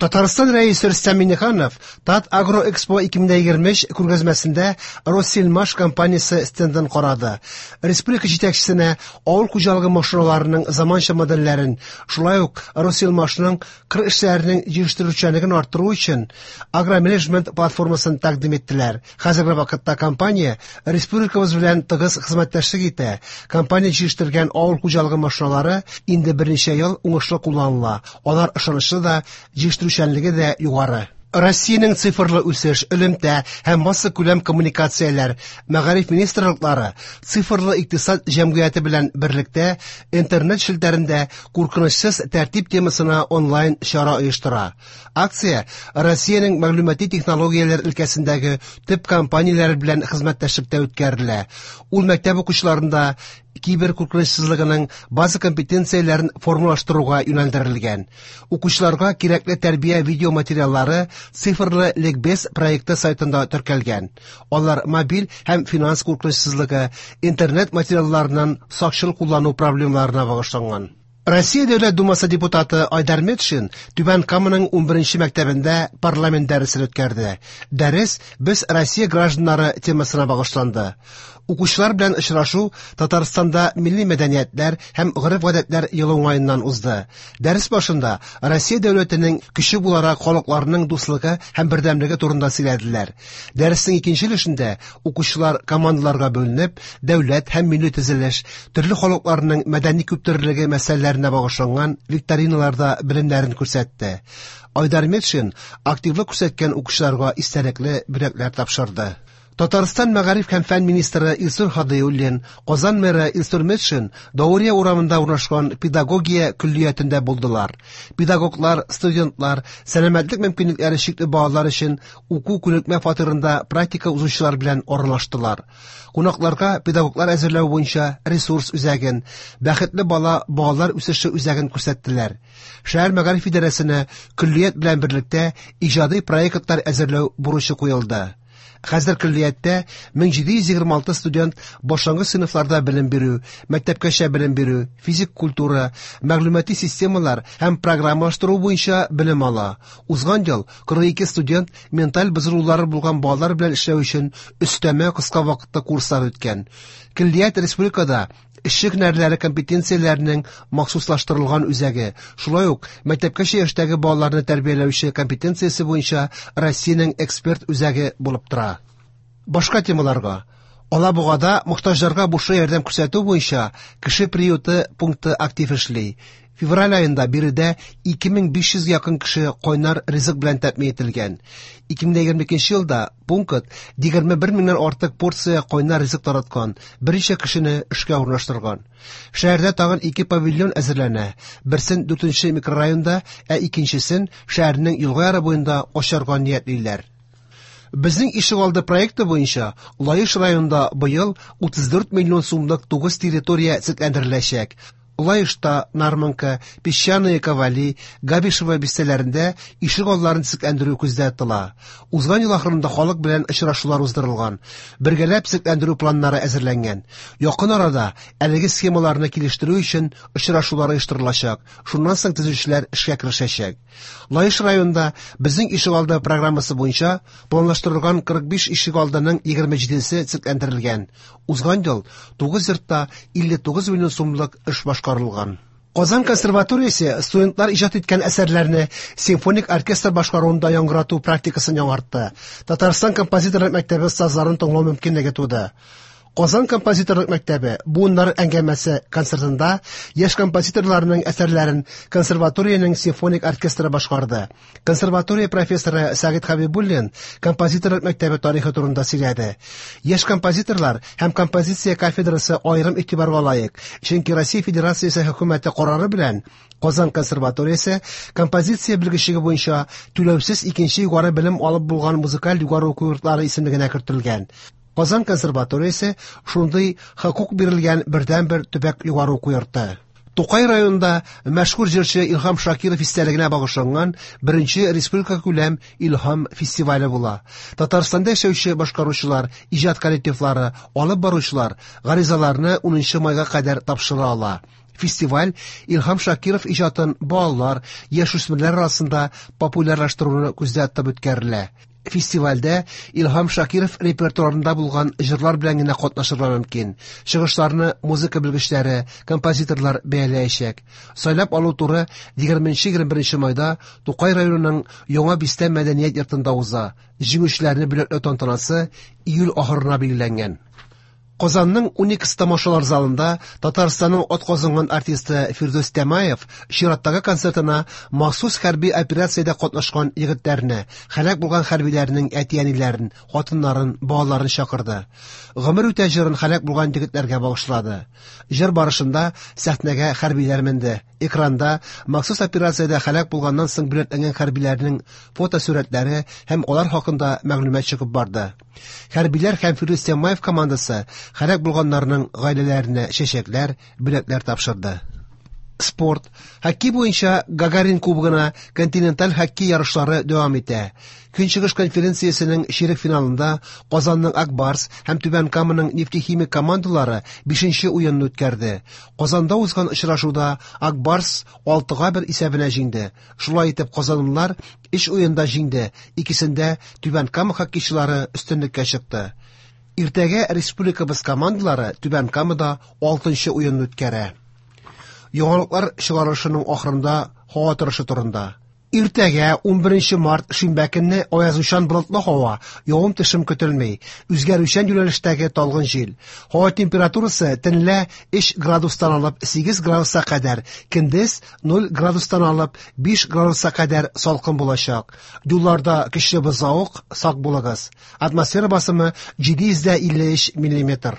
Татарстан Рәисе Рөстәм Миңнеханов Татагроэкспо 2023 күргәзмәсендә Россельмаш компаниясе стендын карады. Республика җитәкчесенә авыл хуҗалыгы машиналарының заманча модельләрен, шулай ук Россельмашның кыр эшләренең җитештерүчәнлеген арттыру өчен агроменеджмент платформасын тәкъдим иттеләр. Хәзерге вакытта компания республикабыз белән тыгыз хезмәттәшлек итә. Компания җитештергән авыл хуҗалыгы машиналары инде берничә ел уңышлы кулланыла. Алар ышанычлы да, җитештерүчәнлеге дә югары. Россиянең цифрлы үсеш, элемтә һәм массакүләм коммуникацияләр, мәгариф министрлыклары цифрлы икътисад җәмгыяте белән берлектә интернет челтәрендә куркынычсыз тәртип темасына онлайн чара оештыра. Акция Россиянең мәгълүмати технологияләр өлкәсендәге төп компанияләре белән хезмәттәшлектә үткәрелә. Ул мәктәп укучыларында кибер куркынычсызлыгының база компетенцияләрен формалаштыруга юнәлдерелгән. Укучыларга кирәкле тәрбия видеоматериаллары цифрлы ликбез проекты сайтында теркәлгән. Алар мобиль һәм финанс куркынычсызлыгы, интернет материалларыннан сакчыл куллану проблемаларына багышланган. Россия Дәүләт Думасы депутаты Айдар Метшин Түбән Каманың 11 мәктәбендә парламент дәресен үткәрде. Дәрес «Без Россия гражданнары» темасына багышланды. Укучылар белән очрашу Татарстанда милли мәдәниятләр һәм гореф-гадәтләр елы уңаеннан узды. Дәрес башында Россия дәүләтенең көче буларак халыкларының дуслыгы һәм бердәмлеге турында сөйләделәр. Дәреснең икенче өлешендә укучылар командаларга бүленеп, дәүләт һәм милли төзелеш, төрле халыкларның мәдәни күптөрлелеге мәсьәләләренә багышланган викториналарда белемнәрен күрсәтте. Айдар Метшин активлык күрсәткән укучыларга истәлекле бүләкләр тапшырды. Татарстан мәгариф һәм фән министры Илсур Һадиуллин, Казан мэры Илсур Метшин Даурия урамында урнашкан педагогия көллиятендә булдылар. Педагоглар, студентлар, сәламәтлек мөмкинлекләре чикле балалар өчен уку күнекмә фатирында практика узучылар белән аралаштылар. Кунакларга педагоглар әзерләү буенча ресурс үзәген, Бәхетле бала балалар үсеше үзәген күрсәттеләр. Шәһәр мәгариф идарәсенә көллият белән берлектә иҗади проектлар әзерләү бурычы куелды. Хәзер көллияттә 1726 студент башлангыч сыйныфларда белем бирү, мәктәпкәчә белем бирү, физик культура, мәгълүмати системалар һәм программалаштыру буенча белем ала. Узган ел 42 студент менталь бозылулары булган балалар белән эшләү өчен өстәмә кыска вакытлы курслар үткән. Көллият республикада эшче һөнәрләре компетенцияләренең махсуслаштырылган үзәге, шулай ук мәктәпкәчә яшьтәге балаларны тәрбияләүче компетенциясе буенча Россиянең эксперт үзәге булып тора. Башка темаларга. Алабугада мохтаҗларга бушлай ярдәм күрсәтү буенча кеше приюты пункты актив эшли. Февраль аенда биредә 2500 якын кеше кайнар ризык белән тәэмин ителгән. 2022 елда пункт 21 меңнән артык порция кайнар ризык тараткан, берничә кешене эшкә урнаштырган. Шәһәрдә тагын 2 павильон әзерләнә. Берсен 4 микрорайонда, ә икенчесен шәһәрнең елга яры буенда ачарга ниятлиләр. Безнең ишегалды проекты буенча Лаеш районында быел 34 миллион сумлык 9 территория төзекләндереләчәк. Лаешта, Нармонка, Песчаные Ковали, Габишево бистәләрендә ишегалларын төзекләндерү күздә тотыла. Узган ел ахырында халык белән очрашулар уздырылган. Бергәләп төзекләндерү планнары әзерләнгән. Якын арада әлеге схемаларны килештерү өчен очрашулар оештырылачак. Шуннан соң төзүчеләр эшкә керешәчәк. Лаеш районында безнең ишегалды программасы буенча планлаштырылган 45 ишегалдының 27-се төзекләндерелгән. Узган ел 9 йортта 59 миллион сумлык эш башкарылган. Казан консерваториясе студентлар иҗат иткән әсәрләрне симфоник оркестр башкаруында яңгырату практикасын яңартты. Татарстан композиторлык мәктәбе остазларын тыңлау мөмкинлеге туды. Казан композиторлык мәктәбе буыннар әңгәмәсе концертында яшь композиторларның әсәрләрен консерваториянең симфоник оркестры башкарды. Консерватория профессоры Сәгыйть Хәбибуллин композиторлык мәктәбе тарихы турында сөйләде. Яшь композиторлар һәм композиция кафедрасы аерым игътибарга лаек, чөнки Россия Федерациясе хөкүмәте карары белән Казан консерваториясе композиция белгечлеге буенча түләүсез икенче югары белем алып булган музыкаль югары уку йортлары исемлегенә кертелгән. Казан консерваториясе шундый хокук бирелгән бердәнбер төбәк югары уку йорты. Тукай районында мәшһүр җырчы Илһам Шакиров истәлегенә багышланган беренче республика күләм Илһам фестивале була. Татарстанда яшәүче башкаручылар, иҗат коллективлары, алып баручылар гаризаларны 10 майга кадәр тапшыра ала. Фестиваль Илһам Шакиров иҗатын балалар, яшүсмерләр арасында популярлаштыруны күздә тотып үткәрелә. Фестивальдә Илһам Шакиров репертуарында булган җырлар белән генә катнашырга мөмкин. Чыгышларны музыка белгечләре, композиторлар бәяләячәк. Сайлап алу туры 20-21 майда Тукай районының Яңа Бистә мәдәният йортында уза. Җиңүчеләрне бүләкләү тантанасы июль ахырына билгеләнгән. Казанның Уникс тамашалар залында Татарстанның атказанган артисты Фирдүс Тямаев чираттагы концертына махсус хәрби операциядә катнашкан егетләрне, һәлак булган хәрбиләрнең әти-әниләрен, хатыннарын, балаларын чакырды. Гомер үтә җырын һәлак булган егетләргә багышлады. Җыр барышында сәхнәгә хәрбиләр менде. Экранда махсус операциядә һәлак булганнан соң бүләкләнгән хәрбиләрнең фотосурәтләре һәм алар хакында мәгълүмат чыгып барды. Хәрбиләр һәм Фирдүс Тямаев командасы һәлак булганнарның гаиләләренә чәчәкләр, бүләкләр тапшырды. Спорт. Хоккей буенча Гагарин кубогына континенталь хоккей ярышлары дәвам итә. Көнчыгыш конференциясенең чирек финалында Казанның Ак Барс һәм Түбән Каманың Нефтехимик командалары 5нче уенны үткәрде. Казанда узган очрашуда Ак Барс 6-1 исәбенә җиңде. Шулай итеп казанлылар 3 уенда җиңде, икесендә Түбән Кама хоккейчылары өстенлеккә чыкты. Иртәгә республикабыз командалары Түбән Камада 6нчы уенны үткәрә. Яңалыклар чыгарылышының ахырында һава торышы турында. Иртәгә 11 март шимбә көнне аязучан болытлы һава, явым-төшем көтелми. Үзгәрүчән юнәлештәге талгын җил. Һава температурасы төнлә 3 градустан алып 8 градуска кадәр, көндез 0 градустан алып 5 градуска кадәр салкын булачак. Юлларда көчле бозлавык, сак булыгыз. Атмосфера басымы 753 миллиметр.